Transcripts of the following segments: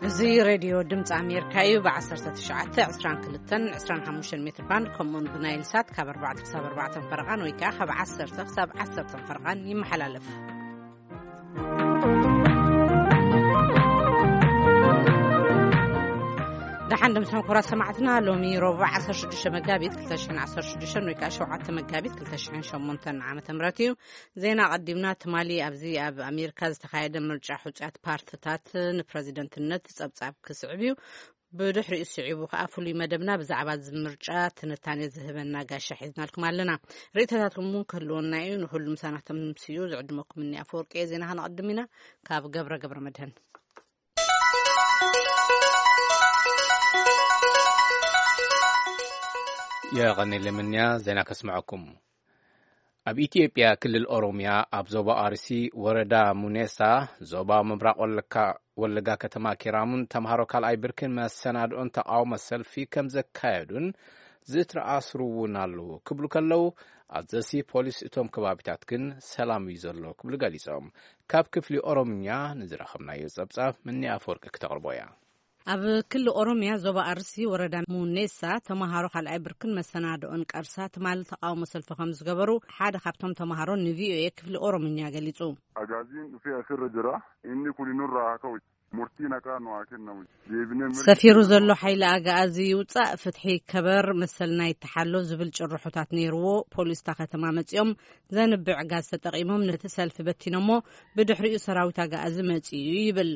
እዚ ሬድዮ ድምፂ ኣሜሪካ እዩ። ብ1922 25 ሜትር ባንድ፣ ከምኡውን ብናይል ሳት ካብ ኣርባዕተ ክሳብ ኣርባዕተ ፈረቓን ወይ ከዓ ካብ ዓሰርተ ክሳብ ዓሰርተ ፈረቓን ይመሓላለፍ። ደሓን ደምስም ክቡራት ሰማዕትና፣ ሎሚ ረቡዕ 16 መጋቢት 2016 ወይ ከዓ 7 መጋቢት 2008 ዓመተ ምህረት እዩ። ዜና ቀዲምና። ትማሊ ኣብዚ ኣብ ኣሜሪካ ዝተኻየደ ምርጫ ሕጹያት ፓርትታት ንፕረዚደንትነት ጸብጻብ ክስዕብ እዩ። ብድሕሪኡ ስዒቡ ከዓ ፍሉይ መደብና ብዛዕባ እዚ ምርጫ ትንታኔ ዝህበና ጋሻ ሒዝናልኩም ኣለና። ርእይቶታትኩም እውን ክህልወና እዩ። ንኩሉ ምሳና ተምስዩ ዝዕድመኩም እኒ ኣፈወርቂ እየ። ዜና ከነቐድም ኢና። ካብ ገብረ ገብረ መድህን። የቐኔለ ምንያ ዜና ከስምዐኩም። ኣብ ኢትዮጵያ ክልል ኦሮሚያ ኣብ ዞባ ኣርሲ ወረዳ ሙኔሳ፣ ዞባ ምብራቕ ወለካ-፣ ወለጋ ከተማ ኪራሙን ተምሃሮ ካልኣይ ብርክን መሰናድኦን ተቃውሞ ሰልፊ ከም ዘካየዱን ዝተኣስሩ እውን ኣለዉ ክብሉ ከለዉ፣ ኣዘሲ ፖሊስ እቶም ከባቢታት ግን ሰላም እዩ ዘሎ ክብሉ ገሊጾም። ካብ ክፍሊ ኦሮምኛ ንዝረኸብናዮ ጸብጻብ ምኒ ኣፈወርቂ ክተቕርቦ እያ። ኣብ ክልል ኦሮምያ ዞባ ኣርሲ ወረዳ ሙኔሳ ተምሃሮ ካልኣይ ብርክን መሰናድኦን ቀርሳ ትማሊ ተቃውሞ ሰልፊ ከም ዝገበሩ ሓደ ካብቶም ተምሃሮ ንቪኦኤ ክፍሊ ኦሮምኛ ገሊጹ። Agaaziin dhufee asirra jira. Inni kun nurraa haa ka'u. Murtiin haqaa nu haa kennamu. Deebinee mirga ሰፊሩ keenya ዘሎ ሓይሊ ኣግኣዚ ይውጻእ፣ ፍትሒ ይከበር፣ መሰልና ይተሓሎ ዝብል ጭርሖታት ነይርዎ። ፖሊስ እታ ከተማ መጺኦም ዘንብዕ ጋዝ ተጠቒሞም ነቲ ሰልፊ በቲኖሞ፣ ብድሕሪኡ ሰራዊት ኣግኣዚ መጺኡ ይብል።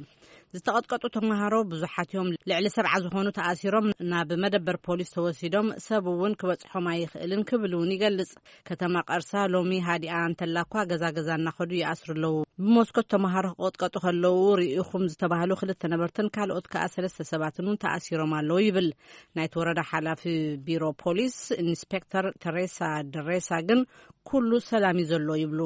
ዝተቐጥቀጡ ተምሃሮ ብዙሓት እዮም። ልዕሊ ሰብዓ ዝኾኑ ተኣሲሮም ናብ መደበር ፖሊስ ተወሲዶም፣ ሰብ እውን ክበጽሖም ኣይኽእልን ክብል እውን ይገልጽ። ከተማ ቀርሳ ሎሚ ሃዲኣ እንተላ እኳ ገዛ ገዛ እናኸዱ ይኣስሩ ኣለዉ። ብመስኮት ተምሃሮ ክቐጥቀጡ ከለዉ ርኢኹም ዝተባህሉ ክልተ ነበርትን ካልኦት ከኣ ሰለስተ ሰባትን እውን ተኣሲሮም ኣለዉ ይብል ናይቲ ወረዳ ሓላፊ ቢሮ ፖሊስ ኢንስፔክተር ተሬሳ ድሬሳ። ግን ኩሉ ሰላም እዩ ዘሎ ይብሉ።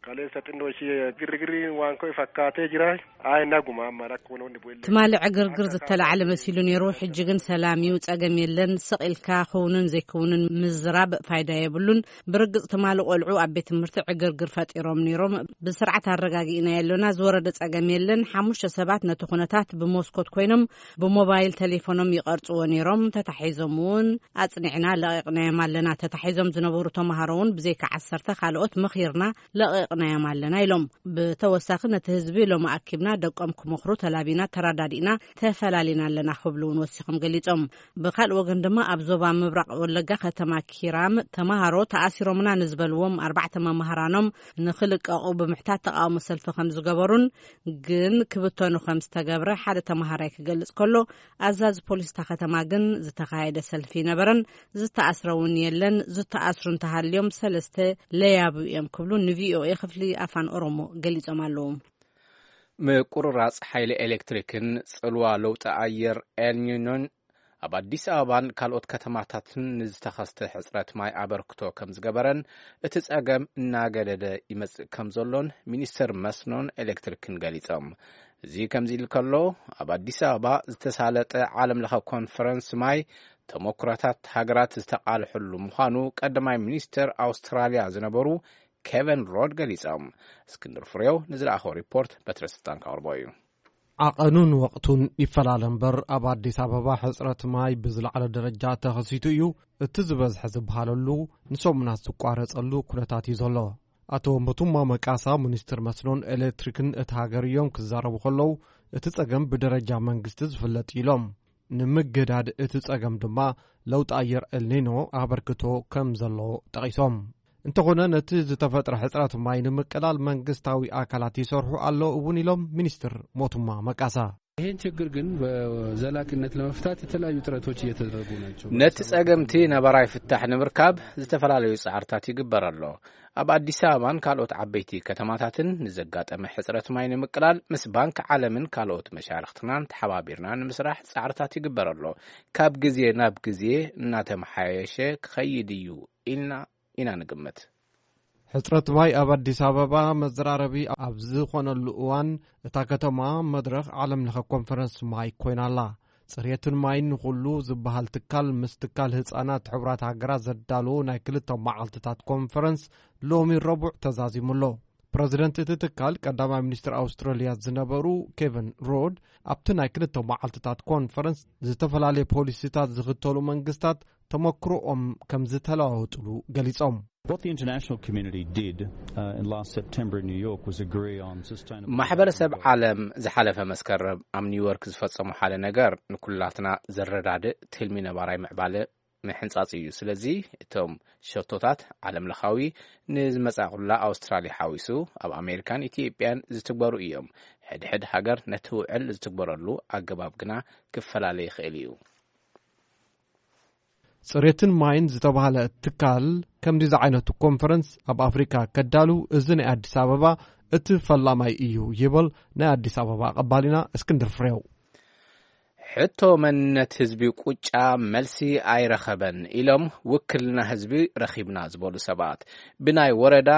Kaleessa xinnoo ishee girrigirri waan ka'e fakkaatee jira. Ayi naguma amma rakkoon hundi bu'ellee ትማሊ ዕግርግር ዝተላዕለ መሲሉ ነይሩ። ሕጂ ግን ሰላም እዩ፣ ጸገም የለን። ስቕ ኢልካ ክውንን ዘይክውንን ምዝራብ ፋይዳ የብሉን። ብርግጽ ትማሊ ቆልዑ ኣብ ቤት ትምህርቲ ዕግርግር ፈጢሮም ነይሮም። ብስርዓት ኣረጋጊእና የሎና፣ ዝወረደ ጸገም የለን። ሓሙሽተ ሰባት ነቲ ኩነታት ብመስኮት ኮይኖም ብሞባይል ቴሌፎኖም ይቐርጽዎ ነይሮም። ተታሒዞም እውን ኣጽኒዕና ለቒቕናዮም ኣለና። ተታሒዞም ዝነበሩ ተምሃሮ እውን ብዘይካ ዓሰርተ ካልኦት መኺርና ለቒቕናዮም ኣለና ኢሎም። ብተወሳኺ ነቲ ህዝቢ ሎሚ ኣኪብና ደቆም ክመኽሩ ተላቢና ተረዳዲእና ተፈላሊና ኣለና ክብሉ እውን ወሲኾም ገሊጾም። ብካልእ ወገን ድማ ኣብ ዞባ ምብራቕ ወለጋ ከተማ ኪራም ተምሃሮ ተኣሲሮምና ንዝበልዎም ኣርባዕተ መምህራኖም ንኽልቀቑ ብምሕታት ተቃውሞ ሰልፊ ከም ዝገበሩን ግን ክብተኑ ከም ዝተገብረ ሓደ ተምሃራይ ክገልጽ ከሎ፣ ኣዛዚ ፖሊስ እታ ከተማ ግን ዝተኻየደ ሰልፊ ነበረን፣ ዝተኣስረ እውን የለን፣ ዝተኣስሩ እንተሃልዮም ሰለስተ ለያቡ እዮም ክብሉ ንቪኦኤ ክፍሊ ኣፋን ኦሮሞ ገሊጾም ኣለዉ። ምቁርራጽ ሓይሊ ኤሌክትሪክን ጽልዋ ለውጢ ኣየር ኤልኒኖን ኣብ ኣዲስ ኣበባን ካልኦት ከተማታትን ንዝተኸስተ ሕጽረት ማይ ኣበርክቶ ከም ዝገበረን እቲ ጸገም እናገደደ ይመጽእ ከም ዘሎን ሚኒስተር መስኖን ኤሌክትሪክን ገሊጾም። እዚ ከምዚ ኢሉ ከሎ፣ ኣብ ኣዲስ ኣበባ ዝተሳለጠ ዓለም ለኸ ኮንፈረንስ ማይ ተሞክሮታት ሃገራት ዝተቓልሐሉ ምዃኑ ቀዳማይ ሚኒስተር ኣውስትራልያ ዝነበሩ ኬቨን ሮድ ገሊጾም። እስክንድር ፍሬው ንዝለኣኸው ሪፖርት በትረ ስልጣን ከቕርቦ እዩ። ዓቐኑን ወቕቱን ይፈላለ እምበር፣ ኣብ ኣዲስ ኣበባ ሕጽረት ማይ ብዝለዓለ ደረጃ ተኸሲቱ እዩ። እቲ ዝበዝሐ ዝበሃለሉ ንሰሙናት ዝቋረጸሉ ኩነታት እዩ ዘሎ። ኣቶ ሞቱማ መቃሳ፣ ሚኒስትር መስኖን ኤሌክትሪክን እቲ ሃገር እዮም ክዛረቡ ከለዉ፣ እቲ ጸገም ብደረጃ መንግስቲ ዝፍለጥ እዩ ኢሎም። ንምግዳድ እቲ ጸገም ድማ ለውጢ ኣየር ኤልኒኖ ኣበርክቶ ከም ዘሎ ጠቒሶም። እንተኾነ፣ ነቲ ዝተፈጥረ ሕጽረት ማይ ንምቅላል መንግስታዊ ኣካላት ይሰርሑ ኣለዉ እውን ኢሎም ሚኒስትር ሞቱማ መቃሳ። ይህን ችግር ግን በዘላቂነት ለመፍታት የተለያዩ ጥረቶች እየተደረጉ ናቸው። ነቲ ጸገምቲ ነባራይ ፍታሕ ንምርካብ ዝተፈላለዩ ጻዕርታት ይግበር ኣሎ። ኣብ ኣዲስ ኣበባን ካልኦት ዓበይቲ ከተማታትን ንዘጋጠመ ሕጽረት ማይ ንምቅላል ምስ ባንክ ዓለምን ካልኦት መሻርኽትናን ተሓባቢርና ንምስራሕ ጻዕርታት ይግበር ኣሎ። ካብ ግዜ ናብ ግዜ እናተመሓየሸ ክኸይድ እዩ ኢልና ኢና ንግምት። ሕጽረት ማይ ኣብ ኣዲስ ኣበባ መዘራረቢ ኣብ ዝኾነሉ እዋን፣ እታ ከተማ መድረኽ ዓለም ለኸ ኮንፈረንስ ማይ ኮይና ኣላ። ጽሬትን ማይን ንኹሉ ዝበሃል ትካል ምስ ትካል ህጻናት ሕቡራት ሃገራት ዘዳለዎ ናይ ክልተ መዓልትታት ኮንፈረንስ ሎሚ ረቡዕ ተዛዚሙ ኣሎ። ፕረዚደንት እቲ ትካል ቀዳማይ ሚኒስትር ኣውስትራልያ ዝነበሩ ኬቨን ሮድ ኣብቲ ናይ ክልተ መዓልትታት ኮንፈረንስ ዝተፈላለየ ፖሊሲታት ዝኽተሉ መንግስታት ተመክሮኦም ከም ዝተለዋወጥሉ ገሊጾም። What the international community did uh, in last September in New York was agree on sustainable ማሕበረሰብ ዓለም ዝሓለፈ መስከረም ኣብ ኒውዮርክ ዝፈጸሙ ሓደ ነገር ንኩላትና ዘረዳድእ ትልሚ ነባራይ ምዕባለ ምሕንጻጽ እዩ። ስለዚ እቶም ሸቶታት ዓለም ለኻዊ ንዝመጻእኩላ ኣውስትራልያ ሓዊሱ ኣብ ኣሜሪካን ኢትዮጵያን ዝትግበሩ እዮም። ሕድሕድ ሃገር ነቲ ውዕል ዝትግበረሉ ኣገባብ ግና ክፈላለ ይኽእል እዩ። ጽሬትን ማይን ዝተባህለ ትካል ከምዚ ዝዓይነቱ ኮንፈረንስ ኣብ ኣፍሪካ ከዳሉ እዚ ናይ ኣዲስ ኣበባ እቲ ፈላማይ እዩ ይብል ናይ ኣዲስ ኣበባ ኣቐባሊና እስክንድር ፍሬው። ሕቶ መንነት ህዝቢ ቁጫ መልሲ ኣይረኸበን ኢሎም ውክልና ህዝቢ ረኺብና ዝበሉ ሰባት፣ ብናይ ወረዳ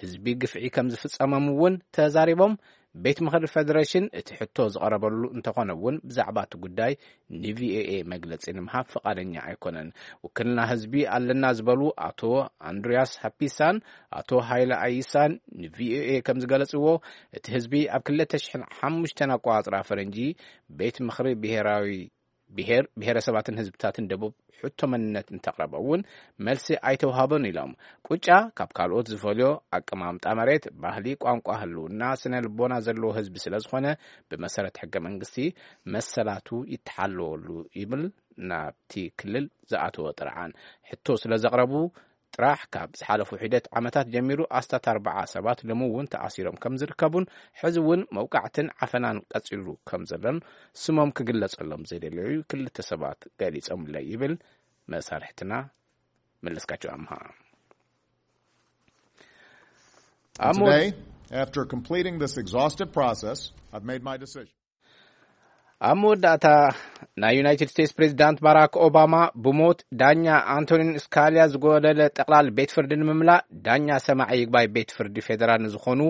ህዝቢ ግፍዒ ከም ዝፍጸሞም እውን ተዛሪቦም። ቤት ምኽሪ ፌደሬሽን እቲ ሕቶ ዝቐረበሉ እንተኾነ እውን ብዛዕባ እቲ ጉዳይ ንቪኦኤ መግለጺ ንምሃብ ፍቓደኛ ኣይኮነን። ውክልና ህዝቢ ኣለና ዝበሉ ኣቶ ኣንድሪያስ ሃፒሳን ኣቶ ሃይለ ኣይሳን ንቪኦኤ ከም ዝገለጽዎ፣ እቲ ህዝቢ ኣብ ክልተ ሽሕን ሓሙሽተን ኣቆጻጽራ ፈረንጂ ቤት ምኽሪ ብሄራዊ ብሄር ብሄረሰባትን ህዝብታትን ደቡብ ሕቶ መንነት እንተቕረበ እውን መልሲ ኣይተውሃበን ኢሎም። ቁጫ ካብ ካልኦት ዝፈልዮ ኣቀማምጣ መሬት፣ ባህሊ፣ ቋንቋ፣ ህልውና፣ ስነ ልቦና ዘለዎ ህዝቢ ስለ ዝኾነ ብመሰረት ሕገ መንግስቲ መሰላቱ ይተሓለወሉ ይብል ናብቲ ክልል ዝኣተወ ጥርዓን። ሕቶ ስለ ዘቕረቡ ጥራሕ ካብ ዝሓለፉ ሒደት ዓመታት ጀሚሩ ኣስታት ኣርባዓ ሰባት ሎሚ እውን ተኣሲሮም ከም ዝርከቡን ሕዚ እውን መውቃዕትን ዓፈናን ቀጺሉ ከም ዘሎን ስሞም ክግለጸሎም ዘይደለዩ ክልተ ሰባት ገሊጾምለይ ይብል መሳርሕትና መለስካቸው ኣምሃ። And ኣሞ- today, after completing this exhaustive process, I've made my decision. ኣብ መወዳእታ ናይ ዩናይትድ ስቴትስ ፕሬዚዳንት ባራክ ኦባማ ብሞት ዳኛ ኣንቶኒን ስካሊያ ዝጎደለ ጠቕላል ቤት ፍርዲ ንምምላእ ዳኛ ሰማዒ ይግባይ ቤት ፍርዲ ፌደራል ንዝኾኑ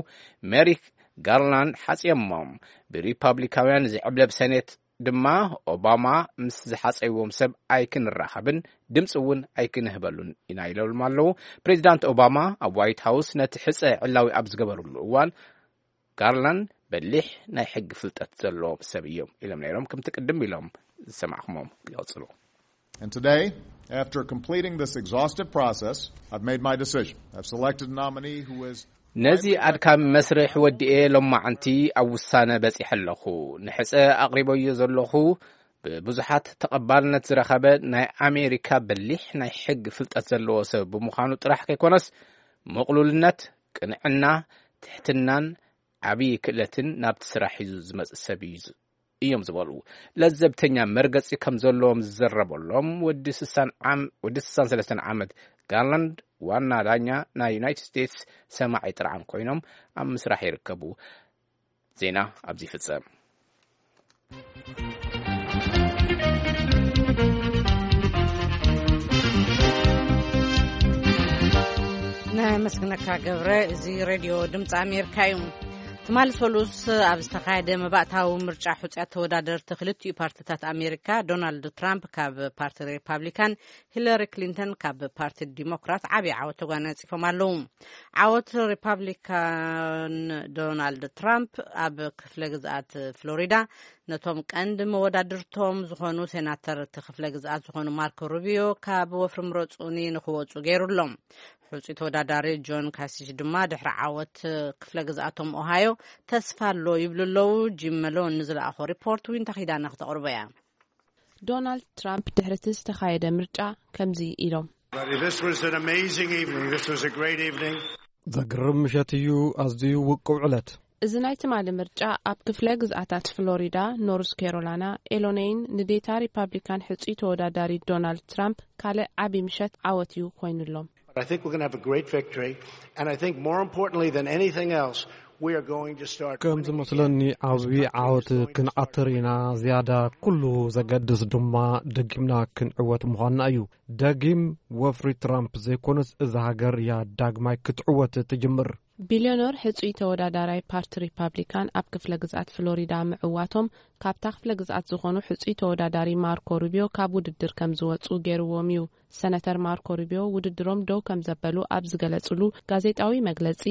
ሜሪክ ጋርላንድ ሓጽዮሞም። ብሪፓብሊካውያን ዝዕብለብ ሰኔት ድማ ኦባማ ምስ ዝሓጸይዎም ሰብ ኣይክንራኸብን ድምፂ እውን ኣይክንህበሉን ኢና ኢሎም ኣለዉ። ፕሬዚዳንት ኦባማ ኣብ ዋይት ሃውስ ነቲ ሕፀ ዕላዊ ኣብ ዝገበሩሉ እዋን ጋርላንድ በሊሕ ናይ ሕጊ ፍልጠት ዘለዎም ሰብ እዮም ኢሎም ነይሮም። ከምቲ ቅድም ኢሎም ዝሰማዕኩሞም ይቐጽሉ። And today, after completing this exhaustive process, I've made my decision. I've selected a nominee who is ነዚ ኣድካሚ መስርሕ ወዲኤ ሎማዓንቲ ኣብ ውሳነ በጺሐ ኣለኹ። ንሕጸ ኣቕሪበዮ ዘለኹ ብብዙሓት ተቐባልነት ዝረኸበ ናይ ኣሜሪካ በሊሕ ናይ ሕጊ ፍልጠት ዘለዎ ሰብ ብምዃኑ ጥራሕ ከይኮነስ፣ ምቕሉልነት፣ ቅንዕና፣ ትሕትናን ዓብዪ ክእለትን ናብቲ ስራሕ ሒዙ ዝመጽእ ሰብ እዩ ዝ-፣ እዮም ዝበሉ ለዘብተኛ መርገጺ ከም ዘለዎም ዝዘረበሎም ወዲ ስሳን ዓም-፣ ወዲ ስሳን ሰለስተን ዓመት ጋርላንድ ዋና ዳኛ ናይ ዩናይትድ ስቴትስ ሰማዒ ጥርዓን ኮይኖም ኣብ ምስራሕ ይርከቡ። ዜና ኣብዚ ይፍጸም። ነመስግነካ ገብረ። እዚ ሬድዮ ድምፂ ኣሜሪካ እዩ። ትማሊ ሰሉስ ኣብ ዝተኻየደ መባእታዊ ምርጫ ሕፁያት ተወዳደርቲ ክልቲኡ ፓርቲታት ኣሜሪካ፣ ዶናልድ ትራምፕ ካብ ፓርቲ ሪፓብሊካን ሂለሪ ክሊንተን ካብ ፓርቲ ዲሞክራት ዓብዪ ዓወት ተጓናፂፎም ኣለዉ። ዓወት ሪፓብሊካን ዶናልድ ትራምፕ ኣብ ክፍለ ግዝኣት ፍሎሪዳ ነቶም ቀንዲ መወዳድርቶም ዝኾኑ ሴናተር እቲ ክፍለ ግዝኣት ዝኾኑ ማርኮ ሩቢዮ ካብ ወፍሪ ምረፁኒ ንክወፁ ገይሩ ኣሎ። ሕፁይ ተወዳዳሪ ጆን ካሲች ድማ ድሕሪ ዓወት ክፍለ ግዝኣቶም ኦሃዮ ተስፋ ኣሎ ይብሉ ኣለዉ። ጂም መሎን ንዝለኣኾ ሪፖርት ዊንታ ኪዳነ ክተቕርቦ እያ። ዶናልድ ትራምፕ ድሕሪ እቲ ዝተኻየደ ምርጫ ከምዚ ኢሎም። This was an amazing evening. This was a great evening. ዘግርም ምሸት እዩ፣ ኣዝዩ ውቁብ ዕለት። እዚ ናይ ትማሊ ምርጫ ኣብ ክፍለ ግዝኣታት ፍሎሪዳ፣ ኖርዝ ካሮላይና፣ ኢሎኖይን ንዴታ ሪፓብሊካን ሕጹይ ተወዳዳሪ ዶናልድ ትራምፕ ካልእ ዓቢ ምሸት ዓወት እዩ ኮይኑሎም። But I think we're going to have a great victory. And I think more importantly than anything else, we are going to start ከም ዝመስለኒ ዓብዪ ዓወት ክንዓትር ኢና። ዝያዳ ኩሉ ዘገድስ ድማ ደጊምና ክንዕወት ምዃንና እዩ። ደጊም ወፍሪ ትራምፕ ዘይኮነስ እዛ ሃገር እያ ዳግማይ ክትዕወት ትጅምር። ቢልዮነር ሕጹይ ተወዳዳራይ ፓርቲ ሪፓብሊካን ኣብ ክፍለ ግዝኣት ፍሎሪዳ ምዕዋቶም፣ ካብታ ክፍለ ግዝኣት ዝኾኑ ሕጹይ ተወዳዳሪ ማርኮ ሩቢዮ ካብ ውድድር ከም ዝወጹ ገይርዎም እዩ። ሰነተር ማርኮ ሩቢዮ ውድድሮም ደው ከም ዘበሉ ኣብ ዝገለጹሉ ጋዜጣዊ መግለጺ፣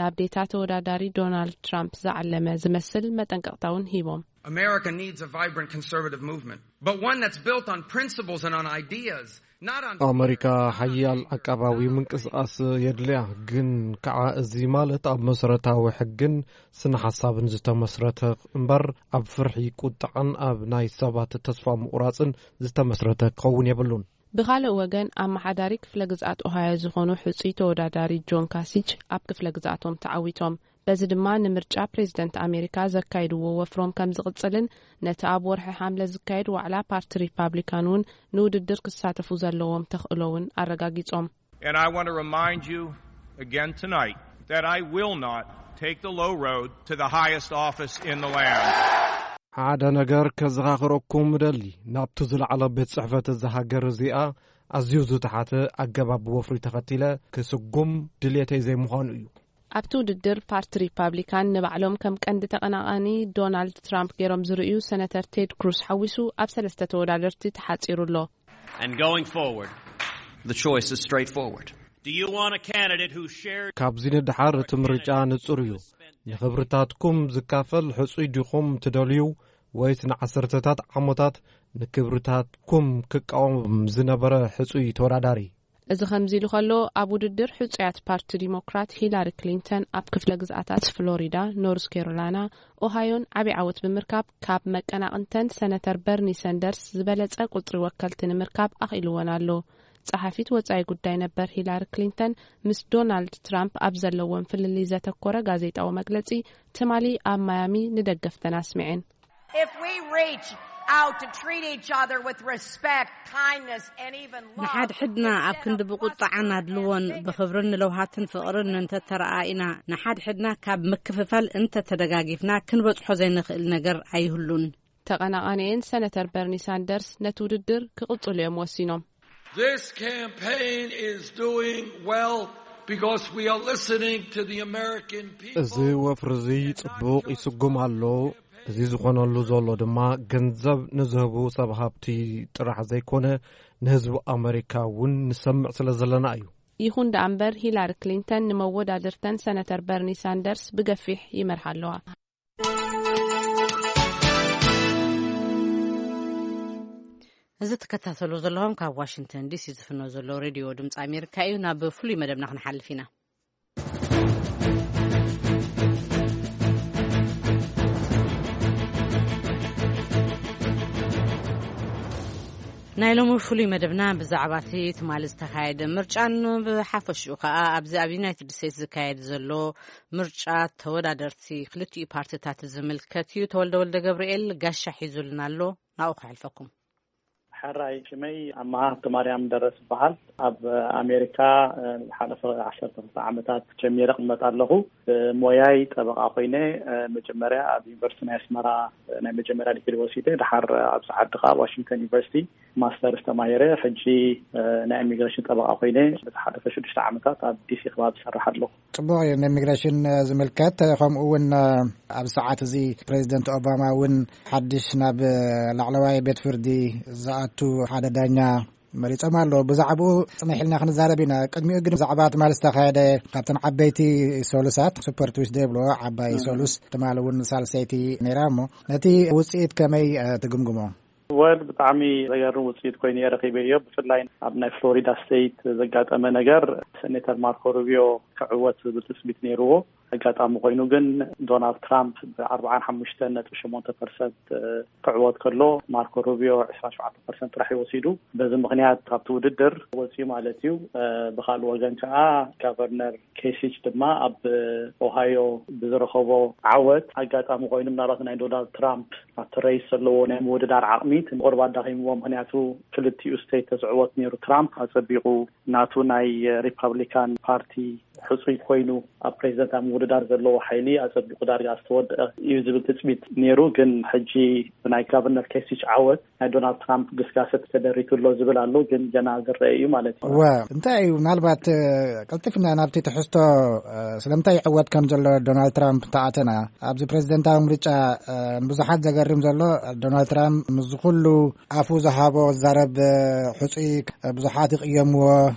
ናብ ዴታ ተወዳዳሪ ዶናልድ ትራምፕ ዝዓለመ ዝመስል መጠንቀቕታ እውን ሂቦም። America needs a vibrant conservative movement, but one that's built on principles and on ideas, not on ኣመሪካ ሓያል ዓቃባዊ ምንቅስቓስ የድልያ፣ ግን ከዓ እዚ ማለት ኣብ መሰረታዊ ሕግን ስነ ሓሳብን ዝተመስረተ እምበር፣ ኣብ ፍርሒ፣ ቁጥዓን ኣብ ናይ ሰባት ተስፋ ምቑራጽን ዝተመስረተ ክኸውን የብሉን። ብኻልእ ወገን፣ ኣመሓዳሪ ክፍለ ግዝኣት ኦሃዮ ዝኾኑ ሕጹይ ተወዳዳሪ ጆን ካሲች ኣብ ክፍለ ግዝኣቶም ተዓዊቶም። በዚ ድማ ንምርጫ ፕሬዝደንት ኣሜሪካ ዘካይድዎ ወፍሮም ከም ዝቕጽልን፣ ነቲ ኣብ ወርሒ ሓምለ ዝካየድ ዋዕላ ፓርቲ ሪፓብሊካን እውን ንውድድር ክሳተፉ ዘለዎም ተኽእሎ እውን ኣረጋጊጾም። And I want to remind you again tonight that I will not take the low road to the highest office in the land. ሓደ ነገር ከዘኻኽረኩም እደሊ። ናብቲ ዝለዓለ ቤት ጽሕፈት እዛ ሃገር እዚኣ ኣዝዩ ዝተሓተ ኣገባብ ወፍሪ ተኸቲለ ክስጉም ድልየተይ ዘይምዃኑ እዩ። ኣብቲ ውድድር፣ ፓርቲ ሪፓብሊካን ንባዕሎም ከም ቀንዲ ተቐናቓኒ ዶናልድ ትራምፕ ገይሮም ዝርእዩ ሰነተር ቴድ ክሩስ ሓዊሱ ኣብ ሰለስተ ተወዳደርቲ ተሓጺሩ ኣሎ። And going forward, the choice is straightforward. Do you want a candidate who shares ካብዚ ንድሓር እቲ ምርጫ ንጹር እዩ። ንኽብርታትኩም ዝካፈል ሕጹይ ዲኹም ትደልዩ፣ ወይስ ንዓሰርተታት ዓመታት ንክብርታትኩም ክቃወም ዝነበረ ሕጹይ ተወዳዳሪ? እዚ ከምዚ ኢሉ ከሎ፣ ኣብ ውድድር ሕጹያት ፓርቲ ዲሞክራት ሂላሪ ክሊንተን ኣብ ክፍለ ግዝኣታት ፍሎሪዳ፣ ኖርዝ ካሮላይና፣ ኦሃዮን ዓቢ ዓወት ብምርካብ፣ ካብ መቀናቕንተን ሰነተር በርኒ ሰንደርስ ዝበለጸ ቁጽሪ ወከልቲ ንምርካብ ኣኽኢልወን ኣሎ። ጸሓፊት ወጻኢ ጉዳይ ነበር ሂላሪ ክሊንተን ምስ ዶናልድ ትራምፕ ኣብ ዘለዎም ፍልልይ ዘተኮረ ጋዜጣዊ መግለጺ ትማሊ ኣብ ማያሚ ንደገፍተን ኣስሚዐን። If we reach out to treat each other with respect, kindness, and even love, ንሓድሕድና ኣብ ክንዲ ብቁጥዓን ኣድልዎን ብኽብርን ንለውሃትን ፍቕርን እንተተረኣኢና፣ ንሓድሕድና ካብ ምክፍፋል እንተተደጋጊፍና ክንበጽሖ ዘይንኽእል ነገር ኣይህሉን። ተቐናቓኒኤን ሰነተር በርኒ ሳንደርስ ነቲ ውድድር ክቕጽሉ እዮም ወሲኖም። This campaign is doing well because we are listening to the American people. እዚ ወፍሪ እዚ ጽቡቕ ይስጉም ኣሎ። እዚ ዝኾነሉ ዘሎ ድማ ገንዘብ ንዝህቡ ሰብ ሃብቲ ጥራሕ ዘይኮነ፣ ንህዝቢ ኣመሪካ እውን ንሰምዕ ስለ ዘለና እዩ። ይኹን ደኣ እምበር፣ ሂላሪ ክሊንተን ንመወዳድርተን ሰነተር በርኒ ሳንደርስ ብገፊሕ ይመርሓ ኣለዋ። እዚ ትከታተሉ ዘለኹም ካብ ዋሽንግተን ዲሲ ዝፍኖ ዘሎ ሬድዮ ድምፂ ኣሜሪካ እዩ። ናብ ፍሉይ መደብና ክንሓልፍ ኢና። ናይ ሎሚ ፍሉይ መደብና ብዛዕባ እቲ ትማሊ ዝተኻየደ ምርጫን ብሓፈሽኡ ከኣ ኣብዚ ኣብ ዩናይትድ ስቴትስ ዝካየድ ዘሎ ምርጫ ተወዳደርቲ ክልቲኡ ፓርቲታት ዝምልከት እዩ። ተወልደ ወልደ ገብርኤል ጋሻ ሒዙልና ኣሎ፣ ናብኡ ከሕልፈኩም። ሕራይ፣ ሽመይ ኣማሃ ሃብተማርያም ደረስ ይበሃል። ኣብ ኣሜሪካ፣ እ፣ ዝሓለፈ ዓሰርተ ክልተ ዓመታት ጀሚረ እቕመጥ ኣለኹ። ብሞያይ ጠበቓ ኮይነ፣ እ፣ መጀመርያ ኣብ ዩኒቨርሲቲ ናይ ኣስመራ፣ እ፣ ናይ መጀመርያ ዲግሪ ወሲደ፣ ድሓር ኣብዚ ዓዲ ከኣ ኣብ ዋሽንግተን ዩኒቨርሲቲ ማስተርስ ተማሂረ። ሕጂ፣ እ፣ ናይ ኢሚግሬሽን ጠበቓ ኮይነ ንዝሓለፈ ሽዱሽተ ዓመታት ኣብ ዲሲ ከባቢ እሰርሕ ኣለኹ። ጽቡቕ እዩ። ንኢሚግሬሽን ዝምልከት፣ ከምኡ እውን ኣብ ሰዓት እዚ ፕሬዚደንት ኦባማ እውን ሓድሽ ናብ ላዕለዋይ ቤት ፍርዲ ዝኣቱ ሓደ ዳኛ መሪጾም ኣለዉ። ብዛዕባኡ ጽንሕ ኢልና ክንዛረብ ኢና። ቅድሚኡ ግን ብዛዕባ ትማሊ ዝተኻየደ ካብተን ዓበይቲ ሰሉሳት፣ ሱፐር ትዊስደይ ይብልዎ፣ ዓባይ እም። ሰሉስ ትማሊ እውን ሳልሰይቲ ነይራ እሞ ነቲ ውጽኢት ከመይ፣ እ፣ ትግምግሞ? ወል ብጣዕሚ ዘገርም ውፅኢት ኮይኑ እየ ረኺበዮ። ብፍላይ ኣብ ናይ ፍሎሪዳ ስቴት ዘጋጠመ ነገር፣ ሴኔተር ማርኮ ሩቢዮ ክዕወት ዝብል ትፅቢት ነይርዎ። ኣጋጣሚ ኮይኑ ግን ዶናልድ ትራምፕ ብኣርብዓን ሓሙሽተን ነጥቢ ሸሞንተ ፐርሰንት ክዕወት ከሎ፣ ማርኮ ሩቢዮ ዕስራን ሸውዓተን ፐርሰንት ጥራሕ እዩ ወሲዱ። በዚ ምኽንያት ካብቲ ውድድር ወፂኡ ማለት እዩ። ብኻልእ ወገን ከዓ ጋቨርነር ኬሲች ድማ ኣብ ኦሃዮ ብዝረኸቦ ዓወት፣ ኣጋጣሚ ኮይኑ ምናልባት ናይ ዶናልድ ትራምፕ ኣብቲ ሬስ ዘለዎ ናይ ምውድዳር ዓቕሚ እቲ ቁሩብ ኣዳኺምዎ። ምኽንያቱ ክልቲኡ ስቴት ተዝዕወት ነይሩ፣ ትራምፕ ኣጸቢቑ ናቱ ናይ ሪፓብሊካን ፓርቲ ሕጹይ ኮይኑ ኣብ ፕሬዚደንት ኣብ ምውድዳር ዘለዎ ሓይሊ ኣጸቢቑ ዳርጋ ዝተወደአ እዩ ዝብል ትጽቢት ነይሩ። ግን ሕጂ ብናይ ጋቨርነር ኬሲች ዓወት ናይ ዶናልድ ትራምፕ ግስጋሰ ተደሪቱ ኣሎ ዝብል ኣሎ። ግን ገና ዝረአ እዩ ማለት እዩ። እወ፣ እንታይ እዩ ምናልባት ቀልጢፍና ናብቲ ትሕዝቶ ስለምንታይ ይዕወት ከም ዘሎ ዶናልድ ትራምፕ እንተኣተና፣ ኣብዚ ፕሬዚደንታዊ ምርጫ ብዙሓት ዘገርም ዘሎ፣ ዶናልድ ትራምፕ ምስ ኩሉ ኣፉ ዝሃቦ ዝዛረብ ሕጹይ ብዙሓት ይቕየምዎ።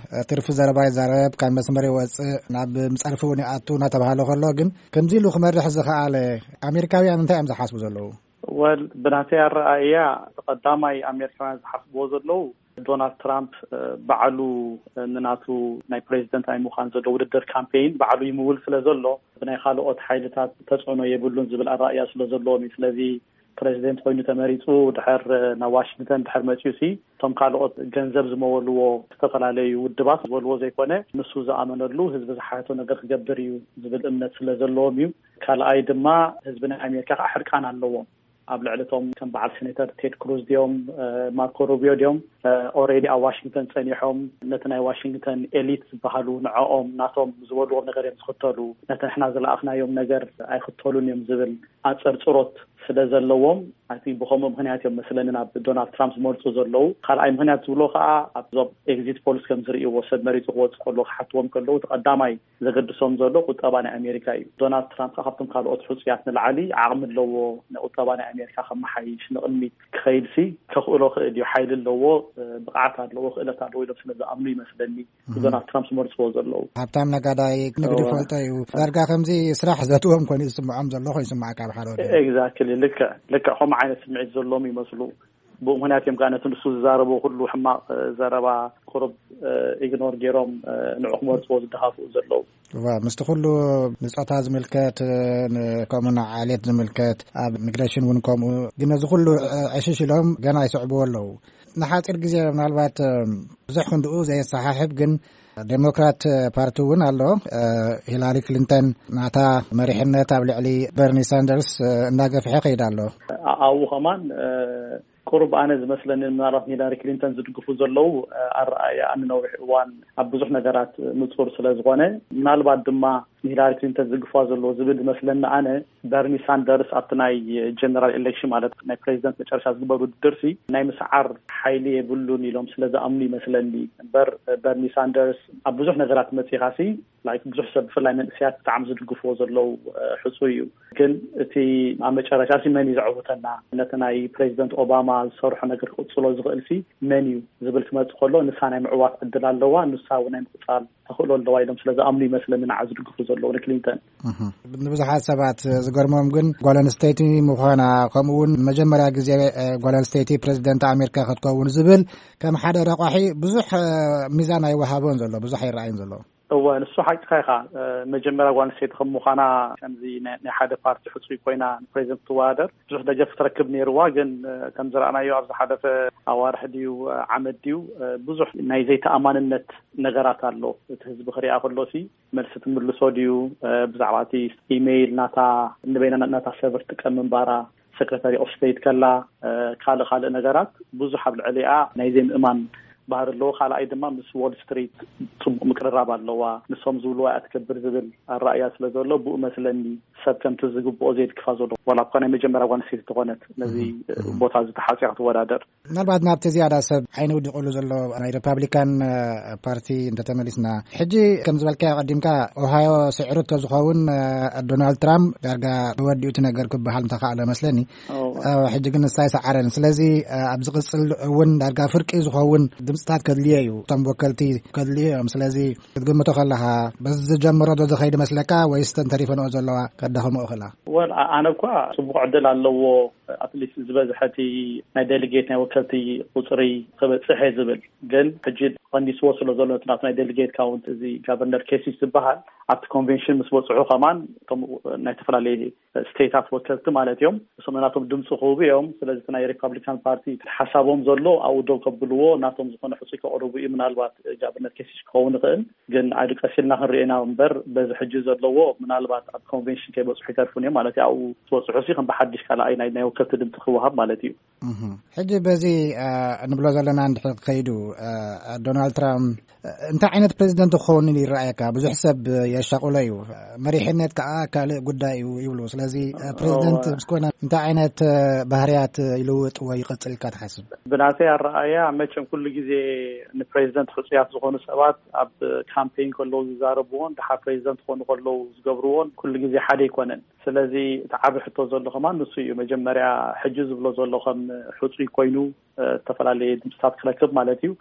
ትርፊ ዘረባ ይዛረብ፣ ካብ መስመር ይወጽእ፣ ናብ ምጸርፊ እውን ይኣቱ እናተባሃለ ከሎ ግን ከምዚ ኢሉ ክመርሕ ዝኸኣለ ኣሜሪካውያን እንታይ እዮም ዝሓስቡ ዘለዉ? ወል ብናተይ ኣረኣእያ፣ ቀዳማይ ኣሜሪካውያን ዝሓስብዎ ዘለዉ፣ ዶናልድ ትራምፕ ባዕሉ ንናቱ ናይ ፕሬዚደንት ናይ ምዃን ዘሎ ውድድር ካምፔይን ባዕሉ ይምውል ስለ ዘሎ፣ ብናይ ካልኦት ሓይልታት ተጽዕኖ የብሉን ዝብል ኣረኣእያ ስለ ዘለዎም እዩ። ስለዚ ፕሬዚደንት ኮይኑ ተመሪጹ ድሕር ናብ ዋሽንግተን ድሕር መጺኡ ሲ፣ እቶም ካልኦት ገንዘብ ዝመወልዎ ዝተፈላለዩ ውድባት ዝበልዎ ዘይኮነ፣ ንሱ ዝኣመነሉ፣ ህዝቢ ዝሓቶ ነገር ክገብር እዩ ዝብል እምነት ስለ ዘለዎም እዩ። ካልኣይ ድማ፣ ህዝቢ ናይ ኣሜሪካ ከዓ ሕርቃን ኣለዎም። ኣብ ልዕሊ እቶም ከም በዓል ሴኔተር ቴድ ክሩዝ ድዮም፣ ማርኮ ሩቢዮ ድዮም፣ ኦሬዲ ኣብ ዋሽንግተን ጸኒሖም፣ ነቲ ናይ ዋሽንግተን ኤሊት ዝበሃሉ ንዕኦም ናቶም ዝበልዎም ነገር እዮም ዝኽተሉ፣ ነቲ ንሕና ዝለኣኽናዮም ነገር ኣይኽተሉን እዮም ዝብል ኣጸርጽሮት ስለ ዘለዎም፣ ኣቲ ብኸምኡ ምኽንያት እዮም መስለኒ ናብ ዶናልድ ትራምፕ ዝመርጹ ዘለዉ። ካልኣይ ምኽንያት ዝብሎ ከዓ፣ ኣብዞም ኤግዚት ፖልስ ከም ዝርእይዎ፣ ሰብ መሪጹ ክወጽእ ከሎ ክሓትዎም ከለዉ፣ እቲ ቀዳማይ ዘገድሶም ዘሎ ቁጠባ ናይ ኣሜሪካ እዩ። ዶናልድ ትራምፕ ከዓ ካብቶም ካልኦት ሕጹያት ንላዕሊ ዓቕሚ ኣለዎ፣ ንቁጠባ ናይ ኣሜሪካ ከመሓይሽ፣ ንቕድሚት ክኸይድሲ ከኽእሎ ክእል እዩ፣ ሓይሊ ኣለዎ፣ ብቕዓት ኣለዎ፣ ክእለት ኣለዎ ኢሎም ስለ ዝኣምኑ ይመስለኒ ዶናልድ ትራምፕ ዝመርጽዎ ዘለዉ። ሃብታም ነጋዳይ፣ ንግዲ እወ። ፈልጦ እዩ። ዳርጋ ከምዚ ስራሕ ዘትዎም ኮይኑ ዝስምዖም ዘሎ ኮይኑ ይስምዓካ፣ ኣብ ሓደ ወገን። ኤግዛክትሊ፣ ልክዕ፣ ልክዕ ከምኡ ዓይነት ስምዒት ዘለዎም ይመስሉ። ብኡ ምኽንያት እዮም ከዓ ነቲ ንሱ ዝዛረቦ ኩሉ ሕማቕ፣ እ፣ ዘረባ ቁሩብ፣ እ፣ ኢግኖር ገይሮም፣ እ፣ ንዑ ክመርጽዎ ዝደፋፍኡ ዘለዉ። እወ፣ ምስቲ ኩሉ ንጾታ ዝምልከት፣ ን-፣ ከምኡ ንዓሌት ዝምልከት፣ ኣብ ኢሚግሬሽን እውን ከምኡ፣ ግን ነዚ ኩሉ፣ እ፣ ዕሽሽ ኢሎም ገና ይስዕብዎ ኣለዉ። ንሓጺር ግዜ ምናልባት፣ እ፣ ብዙሕ ክንድኡ ዘየሰሓሕብ ግን ዴሞክራት ፓርቲ እውን ኣሎ። እ፣ ሂላሪ ክሊንተን ናታ መሪሕነት ኣብ ልዕሊ በርኒ ሳንደርስ፣ እ፣ እንዳገፍሐ ከይዳ ኣሎ። ኣብኡ ከማን፣ እ፣ ቁሩብ ኣነ ዝመስለኒ ምናልባት ሂላሪ ክሊንተን ዝድግፉ ዘለዉ፣ እ፣ ኣረኣእያ ንነዊሕ እዋን ኣብ ብዙሕ ነገራት ንጹር ስለ ዝኾነ፣ ምናልባት ድማ ንሂላሪ ክሊንተን ዝድግፋ ዘለዎ ዝብል ዝመስለኒ ኣነ፣ በርኒ ሳንደርስ ኣብቲ ናይ ጀነራል ኤሌክሽን ማለት ናይ ፕሬዚደንት መጨረሻ ዝግበር ውድድርሲ ናይ ምስዓር ሓይሊ የብሉን ኢሎም ስለ ዝኣምኑ ይመስለኒ እምበር፣ በርኒ ሳንደርስ ኣብ ብዙሕ ነገራት መጺኻሲ፣ ላይክ፣ ብዙሕ ሰብ ብፍላይ መንእሰያት ብጣዕሚ ዝድግፍዎ ዘለዉ፣ እ፣ ሕጹይ እዩ። ግን እቲ ኣብ መጨረሻ ሲ መን እዩ ዘዕውተና፣ ነቲ ናይ ፕሬዚደንት ኦባማ ዝሰርሖ ነገር ክቕጽሎ ዝኽእል ሲ መን እዩ ዝብል ክመጽእ ከሎ፣ ንሳ ናይ ምዕዋት ዕድል ኣለዋ፣ ንሳ እውን ናይ ምቕጻል ተኽእሎ ኣለዋ ኢሎም ስለ ዝኣምኑ ይመስለኒ ንዓ ዝድግፉ ዘለዉ ንክሊንተን። እህ። ንብዙሓት ሰባት ዝገርሞም ግን ጓል ኣንስተይቲ ምዃና፣ ከምኡ እውን ንመጀመርያ ግዜ፣ እ፣ ጓል ኣንስተይቲ ፕሬዚደንት ኣሜሪካ ክትከውን ዝብል ከም ሓደ ረቋሒ ብዙሕ፣ እ፣ ሚዛን ኣይወሃቦን ዘሎ፣ ብዙሕ ኣይረኣይን ዘሎ። እወ፣ ንሱ ሓቅኻ ኢኻ። እ፣ መጀመርያ ጓል ኣንስተይቲ ከም ምዃና፣ ከምዚ ናይ፣ ናይ ሓደ ፓርቲ ሕጹይ ኮይና ንፕሬዚደንት ትወዳደር ብዙሕ ደገፍ ትረክብ ነይርዋ። ግን፣ እ፣ ከም ዝረኣናዮ ኣብ ዝሓለፈ ኣዋርሕ ድዩ፣ እ፣ ዓመት ድዩ፣ እ፣ ብዙሕ ናይ ዘይተኣማንነት ነገራት ኣሎ። እቲ ህዝቢ ክሪኣ ከሎሲ መልሲ ትምልሶ ድዩ፣ እ፣ ብዛዕባ እቲ ኢሜይል ናታ፣ ንበይና ናታ ሰርቨር ትጥቀም ምንባራ፣ ሰክረታሪ ኦፍ ስቴት ከላ፣ እ፣ ካልእ ካልእ ነገራት ብዙሕ ኣብ ልዕሊኣ ናይ ዘይምእማን ባህሪ ኣለዎ። ካልኣይ ድማ ምስ ዎል ስትሪት ጽቡቕ ምቅርራብ ኣለዋ። ንሶም ዝብልዋ እያ ትገብር ዝብል ኣረኣእያ ስለ ዘሎ፣ ብኡ መስለኒ ሰብ ከምቲ ዝግብኦ ዘይድግፋ ዘሎ። ዋላ እኳ ናይ መጀመርያ ጓል ኣንስተይቲ ተኾነት ነዚ፣ እህ፣ እህ። ቦታ እዚ ተሓጽያ ክትወዳደር። ምናልባት ናብቲ ዝያዳ ሰብ ዓይኒ ውዲቑሉ ዘሎ ናይ ሪፓብሊካን፣ እ፣ ፓርቲ እንተተመሊስና፣ ሕጂ ከም ዝበልካዮ ቀዲምካ፣ ኦሃዮ ስዒሩ እንተዝኸውን፣ እ፣ ዶናልድ ትራምፕ ዳርጋ ተወዲኡ እቲ ነገር ክበሃል እንተኸኣለ መስለኒ። እወ። እ፣ ሕጂ ግን ንሳ ኣይሰዓረን። ስለዚ፣ እ፣ ኣብ ዝቕጽል እውን ዳርጋ ፍርቂ ዝኸውን ድምፅታት ከድልዮ እዩ። እቶም ወከልቲ ከድልዮ እዮም። ስለዚ ክትግምቶ ከለኻ፣ በዚ ዝጀምሮ ዶ ዝኸይድ መስለካ ወይስ እተን ተሪፈንኦ ዘለዋ ከዳኽምኦ ክእላ? ወል፣ ኣ-፣ ኣነ እኳ ጽቡቕ ዕድል ኣለዎ፣ ኣትሊስት ዝበዝሐ እቲ ናይ ዴሊጌት ናይ ወከልቲ ቁጽሪ ክበጽሕ እየ ዝብል። ግን ሕጂ ቀንዲስዎ ስለ ዘሎ እቲ ናቱ ናይ ዴሊጌት ካውንት፣ እዚ ጋቨርነር ኬሲች ዝበሃል፣ ኣብቲ ኮንቬንሽን ምስ በጽሑ ከማን፣ እቶም ናይ ዝተፈላለዩ ስቴታት ወከልቲ ማለት እዮም፣ እሶም ናቶም ድምፂ ክህቡ እዮም። ስለዚ እቲ ናይ ሪፓብሊካን ፓርቲ ሓሳቦም ዘሎ ኣብኡ ደው ከብልዎ፣ ናቶም ዝኾነ ሕፁይ ከቕርቡ እዩ። ምናልባት ጋቨርነር ኬሲች ክኸውን ይኽእል። ግን ኣዱ ቀሲልና ክንሪኤና እምበር፣ በዚ ሕጂ ዘለዎ ምናልባት ኣብ ኮንቬንሽን ከይበፅሑ ይተርፉን እዮም ማለት እዩ። ኣብኡ ዝበፅሑ ሲ ከም ብሓድሽ ካልኣይ ናይ፣ ናይ ክልተ ድምፂ ክወሃብ ማለት እዩ። እህ። ሕጂ በዚ፣ እ፣ እንብሎ ዘለና እንድሕር ከይዱ፣ እ፣ ዶናልድ ትራምፕ፣ እ፣ እንታይ ዓይነት ፕሬዚደንት ክኸውን ይረኣየካ? ብዙሕ ሰብ የሻቑሎ እዩ። መሪሕነት ከዓ ካልእ ጉዳይ እዩ ይብሉ። ስለዚ፣ እ፣ ፕሬዚደንት እወ። ምስ ኮነ እንታይ ዓይነት፣ እ፣ ባህርያት ይልውጥ ወይ ይቐጽል ኢልካ ትሓስብ? ብናተይ ኣረኣእያ መቸም ኩሉ ግዜ ንፕሬዚደንት ሕጹያት ዝኾኑ ሰባት ኣብ ካምፔን ከለዉ ዝዛረብዎን ድሓር ፕሬዚደንት ክኾኑ ከለዉ ዝገብርዎን ኩሉ ግዜ ሓደ ኣይኮነን። ስለዚ እቲ ዓቢ ሕቶ ዘሎ ከማን ንሱ እዩ። መጀመርያ ሕጂ ዝብሎ ዘሎ ከም ሕጹይ ኮይኑ፣ እ፣ ዝተፈላለየ ድምፅታት ክረክብ ማለት እዩ።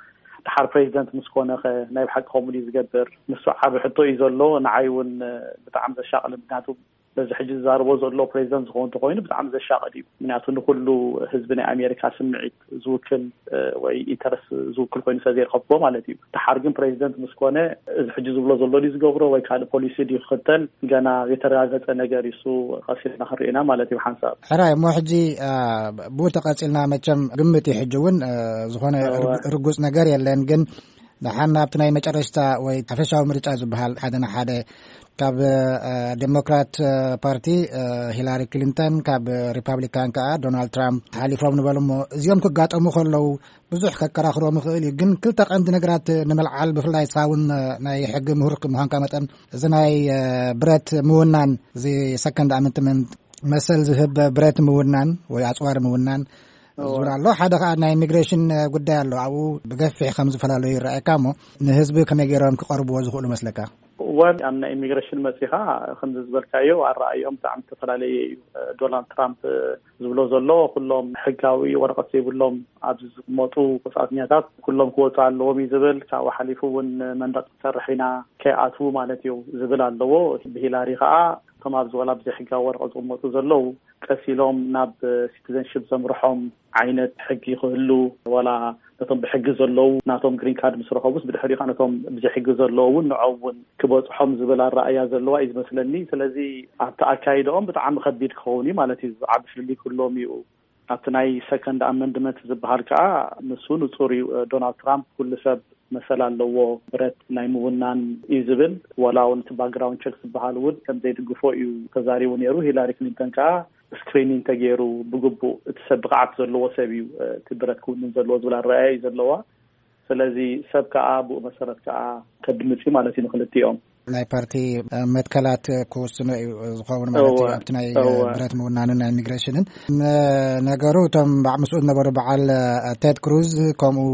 ድሓር ፕሬዚደንት ምስ ኮነ ኸ ናይ ብሓቂ ከምኡ ድዩ ዝገብር? ንሱ ዓቢ ሕቶ እዩ ዘሎ። ንዓይ እውን፣ እ፣ ብጣዕሚ ዘሻቕል፣ ምክንያቱ በዚ ሕጂ ዝዛረቦ ዘሎ ፕሬዚደንት ዝኸውን እንተኾይኑ ብጣዕሚ ዘሻቕል እዩ። ምክንያቱ ንኩሉ ህዝቢ ናይ ኣሜሪካ ስምዒት ዝውክል፣ እ፣ ወይ ኢንተረስት ዝውክል ኮይኑ ስለ ዘይረኸብኩዎ ማለት እዩ። ድሓር ግን ፕሬዚደንት ምስ ኮነ እዚ ሕጂ ዝብሎ ዘሎ ድዩ ዝገብሮ ወይ ካልእ ፖሊሲ ድዩ ክኽተል ገና ዘይተረጋገጸ ነገር እዩ። እሱ ቀስ ኢልና ክንርኢ ኢና ማለት እዩ ብሓንሳብ። ሕራይ እሞ ሕጂ፣ አ፣ ብኡ ተቐጺልና መቸም ግምት እዩ ሕጂ እውን፣ አ፣ ዝኾነ እወ። ርግ-፣ ርጉጽ ነገር የለን። ግን ደሓን ናብቲ ናይ መጨረሽታ ወይ ሓፈሻዊ ምርጫ ዝበሃል ሓደ ንሓደ ካብ፣ አ፣ ዴሞክራት፣ አ፣ ፓርቲ፣ አ፣ ሂላሪ ክሊንተን፣ ካብ ሪፓብሊካን ከኣ ዶናልድ ትራምፕ ሓሊፎም ንበሉ እሞ እዚኦም ክጋጠሙ ከለዉ ብዙሕ ከከራኽሮም ይኽእል እዩ። ግን ክልተ ቀንዲ ነገራት ንምልዓል፣ ብፍላይ ንስኻ እውን ናይ ሕጊ ምሁር ምዃንካ መጠን፣ እዚ ናይ፣ እ፣ ብረት ምውናን፣ እዚ ሰከንድ ኣመንትመንት መሰል ዝህብ ብረት ምውናን ወይ ኣጽዋር ምውናን እወ። ዝብል ኣሎ። ሓደ ከኣ ናይ ኢሚግሬሽን ጉዳይ ኣሎ። ኣብኡ ብገፊሕ ከም ዝተፈላለዩ ይረኣየካ እሞ ንህዝቢ ከመይ ገይሮም ክቐርብዎ ዝኽእሉ መስለካ? ወል ኣብ ናይ ኢሚግሬሽን መጺኻ ከምዚ ዝበልካዮ ኣረኣዮም ብጣዕሚ ዝተፈላለየ እዩ። ዶናልድ ትራምፕ ዝብሎ ዘሎ ኩሎም ሕጋዊ ወረቐት ዘይብሎም ኣብዚ ዝቕመጡ ወጻእተኛታት ኩሎም ክወጹ ኣለዎም እዩ ዝብል። ካብኡ ሓሊፉ እውን መንደቕ ክንሰርሕ ኢና ከይኣትዉ ማለት እዩ ዝብል ኣለዎ። ብሂላሪ ከኣ እቶም ኣብዚ ወላ ብዘይሕጋዊ ወረቐት ዝቕመጡ ዘለዉ ቀስ ኢሎም ናብ ሲቲዘንሽፕ ዘምርሖም ዓይነት ሕጊ ክህሉ፣ ዋላ ነቶም ብሕጊ ዘለዉ ናቶም ግሪን ካርድ ምስ ረኸቡስ ብድሕሪኡ ከኣ ነቶም ብዘይ ሕጊ ዘለዉ እውን ንዖም እውን ክበጽሖም ዝብል ኣረኣእያ ዘለዋ እዩ ዝመስለኒ። ስለዚ ኣብቲ ኣካይዳኦም ብጣዕሚ ከቢድ ክኸውን እዩ ማለት እዩ። ዓቢ ፍልልይ ክህልዎም እዩ። ኣብቲ ናይ ሰከንድ ኣመንድመንት ዝበሃል ከኣ ንሱ ንጹር እዩ። ዶናልድ ትራምፕ ኩሉ ሰብ መሰል ኣለዎ ብረት ናይ ምውናን እዩ ዝብል። ዋላ እውን እቲ ባክግራውንድ ቸክ ዝበሃል እውን ከም ዘይድግፎ እዩ ተዛሪቡ ነይሩ። ሂላሪ ክሊንተን ከኣ ስክሪኒንግ ተገይሩ ብግቡእ እቲ ሰብ ብቕዓት ዘለዎ ሰብ እዩ፣ እ፣ እቲ ብረት ክውንን ዘለዎ ዝብል ኣረኣእያ እዩ ዘለዋ። ስለዚ ሰብ ከኣ ብኡ መሰረት ከኣ ከድምጽ እዩ ማለት እዩ ንክልቲኦም። ናይ ፓርቲ፣ እ፣ መትከላት ክውስኖ እዩ ዝኸውን ማለት እዩ። እወ፣ ኣብቲ ናይ፣ እ፣ እወ። ብረት ምውናንን ናይ ኢሚግሬሽንን። ን-፣ ነገሩ እቶም ባዕ ምስኡ ዝነበሩ በዓል፣ እ፣ ቴድ ክሩዝ ከምኡ